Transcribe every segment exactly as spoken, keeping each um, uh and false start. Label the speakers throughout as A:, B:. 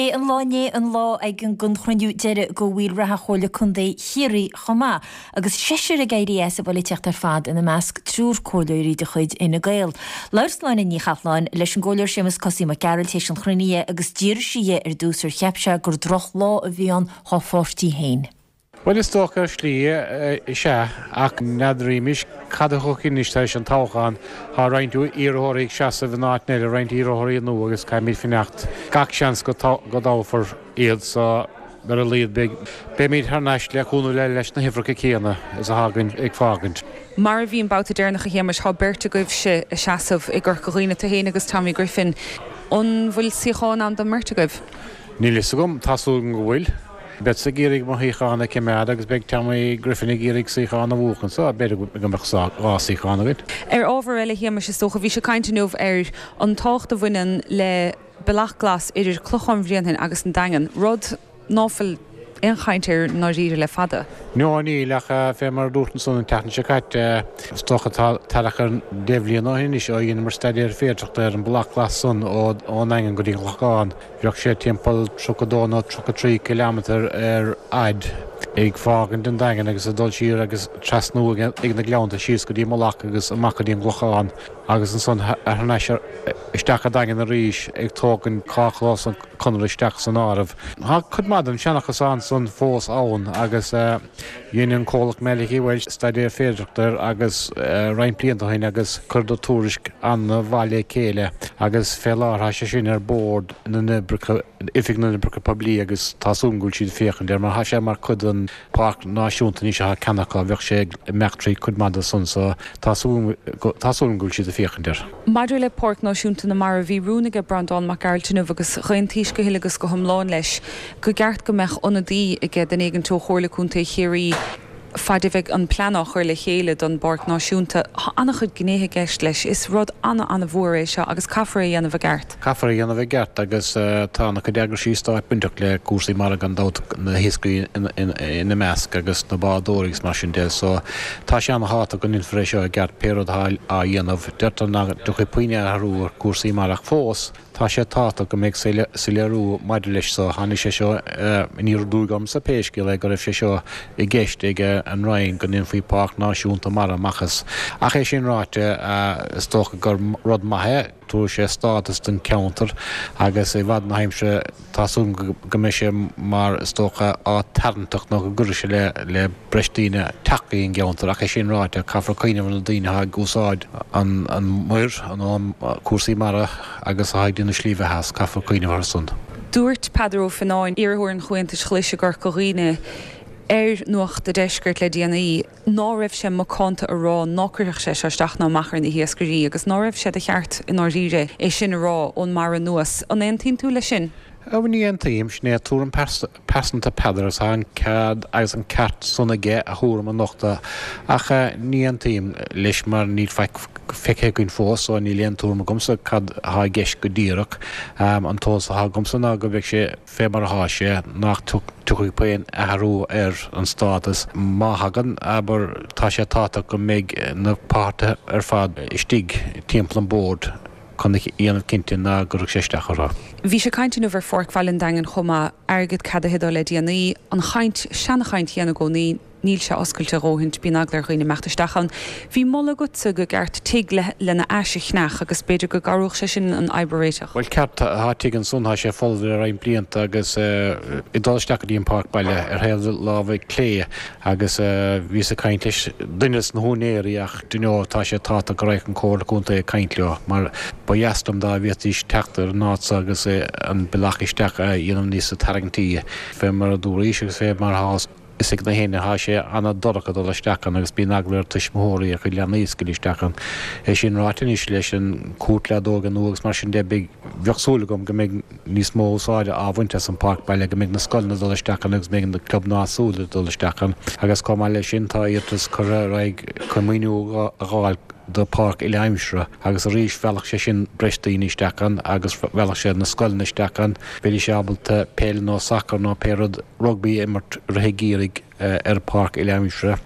A: B'é an lá inné an lá ag an gon chruinniú deiridh de bhaill reatha Chomhairle Contae Chiarraí chomh maith, agus seisear ag éirí as an bpolaitíocht ar fad ina measc triúr comhairleoirí de chuid Fhine Gael. Labhair Sláine Ní Chathalláin leis an gcomhairleoir Séamus Cosaí Mac Gearailt théis an chruinnithe agus d'iarr sí dhe ar dtús ar cheap sé gur drochlá a bhí ann dá pháirtí féin.
B: Well is dócha ar shlí is ea ach n'fheadar cad a thiocfaidh anois tar éis an toghchán tá roinnt iarrthóirí ag seasamh in áit eile roinnt iarrthóirí nua agus caithfimid fanacht gach seans go go dtoghfar iad so ar a laghad beidh beimid thar n-ais le cúnamh le leis na huimhreacha céanna is atá againn ag fágaint.
C: Mar a bhí an babhta deireanach a Shéamais tá beirt agaibhse ag seasamh i gCorca Dhuibhne tú féin agus Tommy Griffin. An bhfuil suíochán ann don mbeirt agaibh?
B: Níl fhios agam tá súil go bhfuil. Beadsa ag iarraidh mo shuíochán a choimeád agus beidh Tommy Griffin ag iarraidh suíochán a bhuachan so b'fhéidir go mbeadh dhá suíochán againn.
C: Ar ábhar eile Shéamais is dócha bhí sé caint inniu ar an tábhacht a bhaineann le bealach glas idir Clochán Bhréanainn agus an Daingean, rud ná fuil aon chaint air dáiríre le fada.
B: No níl ach fé mar dúirt san an tseachtain seo caite is dócha thart ar deich mbliana ó shin anois ó dheineamar staidéar féidearthachta ar an bealach glas san ón Daingean go dtí an Clochán. Bheadh sé timpeall tríocha dó nó tríocha trí kilometer ar fhad ag fágaint an Daingean agus ag dul siar agus trasnú ag na Gleannta síos go dtí Mullach agus amach go dtí an Clochán agus ansan thar n-ais isteach an Daingean arís ag tógaint carrchlós an Chonradh isteach san áireamh. Tá cuid mhaith den seanchas ann san fós ann agus dhein an comhlacht Malachy Walsh staidéar féidearthachta agus roinnt blianta ó shin agus chuireadar tuairisc an-mhaith le chéile agus fé láthair tá sé sin ar bord na n-oibreacha Oifig na n-oibreacha poiblí agus tá súil go bhfuil siad féachaint air mar tá sé mar chuid den Páirc Náisiúnta anois atá ceannaithe acu bheadh sé ag imeacht trí cuid mhaith de san so tá súil tá súil go bhfuil siad ag féachaint air.
C: Maidir le Páirc Náisiúnta na Mara bhí rún aige Breandán Mac Gearailt inniu agus d'aontaíos go huile agus go hiomlán leis go gceart go mbeadh ionadaí aige duine éigin ó Chomhairle Contae Chiarraí fad a bheidh an plean á chur le chéile don bPáirc Náisiúnta Tá an-chuid gnéithe i gceist leis is rud an an-mhór é seo agus caithfear é dhéanamh i gceart.
B: Caithfear é dhéanamh i gceart agus tá an-chuid eagraisí stáit bainteach le cúrsaí mara gan dabht na hiascairí ina measc agus na bádóirí agus mar sin de so tá sé an-tábhachtach go ndéanfar é seo i gceart pé rud atá á dhéanamh deirtear nach dtiocfaidh puinn athrú ar cúrsaí mara ach fós tá sé tábhachtach go mbeidh soiléiriú maidir leis so tháinig sé seo aniar aduaidh ormsa pé scéal é go raibh sé seo i gceist ag an Roinn go ndéanfaí Páirc Náisiúnta Mara amach as. Ach é sin ráite is dócha gur rud maith é tabharfaidh sé stádas don cheantar agus i bhfad na haimsire tá súil go mbeidh sé mar is dócha áit tarraingteach nó go gcuirfidh sé le le breis daoine teacht go dtí an gceantar ach é sin ráite caithfear cuimhneamh ar na daoine atá ag úsáid an an muir an cúrsaí mara agus atá ag déanamh slí bheatha as caithfear cuimhneamh orthu san.
C: Dúirt Peadar Ó Fionnáin iarrthóir an Chomhaontais Ghlais i gCorca Dhuibhne ar Nuacht an Deiscirt le déanaí ná raibh sé macánta a rá ná cuirfeadh sé seo isteach ná amach ar na hiascairí agus ná raibh sé de cheart i ndáiríre é sin a rá ón mbarra anuas an aontaíonn tú leis sin.
B: Ní aontaím sin é tuairim pearsanta Peadar is an cead agus an ceart san aige a thuairim a nochtadh ach ní aontaím leis mar níl faic feicthe againn fós so níl aon tuairim agamsa cad atá i gceist go díreach an t-eolas atá agamsa ná go mbeidh sé fé mar atá sé nach tiocfaidh puinn athrú ar an stádas má thagann abair tá sé tábhachtach go mbeidh na páirtithe ar fad istigh timpeall an bord chun a dhéanamh cinnte ná go sé isteach orthu.
C: Bhí sé caint inniu ar Pháirc Bhaile an Daingin chomh maith airgead ceadaithe le déanaí an chaint seanachaint chéanna i gcónaí níl sé oscailte a dhóthain bíonn eagla ar dhaoine imeacht isteach ann. Bhí moladh agatsa go gceart tigh le lena ais a cheannach agus b'fhéidir go gcabhródh sé sin an fhadhb a réiteach.
B: Well ceart tá tigh ansan tá sé folamh le roinnt blianta agus ag dul isteach go dtí an páirc baile ar thaobh láimhe clé agus bhíos ag caint leis duine sna húinéirí ach you tá sé tábhachtach go raibh an Comhairle Contae ag caint leo mar ba dheas liom dá bhféadfaidís teacht ar an áit seo agus an bealach isteach a dhéanamh níos tarraingtí fé mar a dúraís agus fé mar atá is ag na héinne tá sé an-dorcha dul isteach ann agus bíonn eagla ar tuismitheoirí a chuid leanaí a scaoileadh isteach ann. É sin ráite anois leis an cúirt leadóige nua agus mar sin de beidh bheadh súil agam go mbeidh níos mó úsáide á bhaint as an páirc baile go mbeidh na scoileanna dul isteach ann agus mbeidh na clubanna áitiúla dul isteach ann agus chomh maith leis sin tá iarratas curtha ar aghaidh chun maoiniú a fháil do pháirc uile-aimsire agus arís mheallfadh sé sin breis daoine isteach ann agus mheallfadh sé na scoileanna isteach ann. Bheidís ábalta peil nó sacar nó pé rud rugbaí a imirt i rith an gheimhridh ar pháirc uile-aimsire.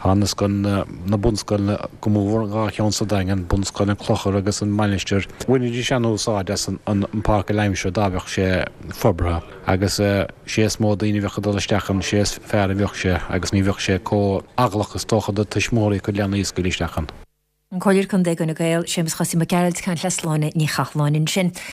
B: Tá na scoileanna, na bunscoileanna go mór, an dhá cheann sa Daingean, Bunscoil an Chlochair agus an Mainistir, bhainfidís an-úsáid as an bpáirc uile-aimsire dá mbeadh sé forbartha agus sé is mó daoine a bheadh ag dul isteach ann, sé is fearr a bheadh sé agus ní bheadh sé chomh heaglach is dócha do tuismitheoirí a gcuid leanaí a scaoileadh isteach ann.
A: An Comhairleoir Contae Fhine Gael, Séamus Chosaí Mac Gearailt, ag caint le Sláine Ní Chathalláin ansin.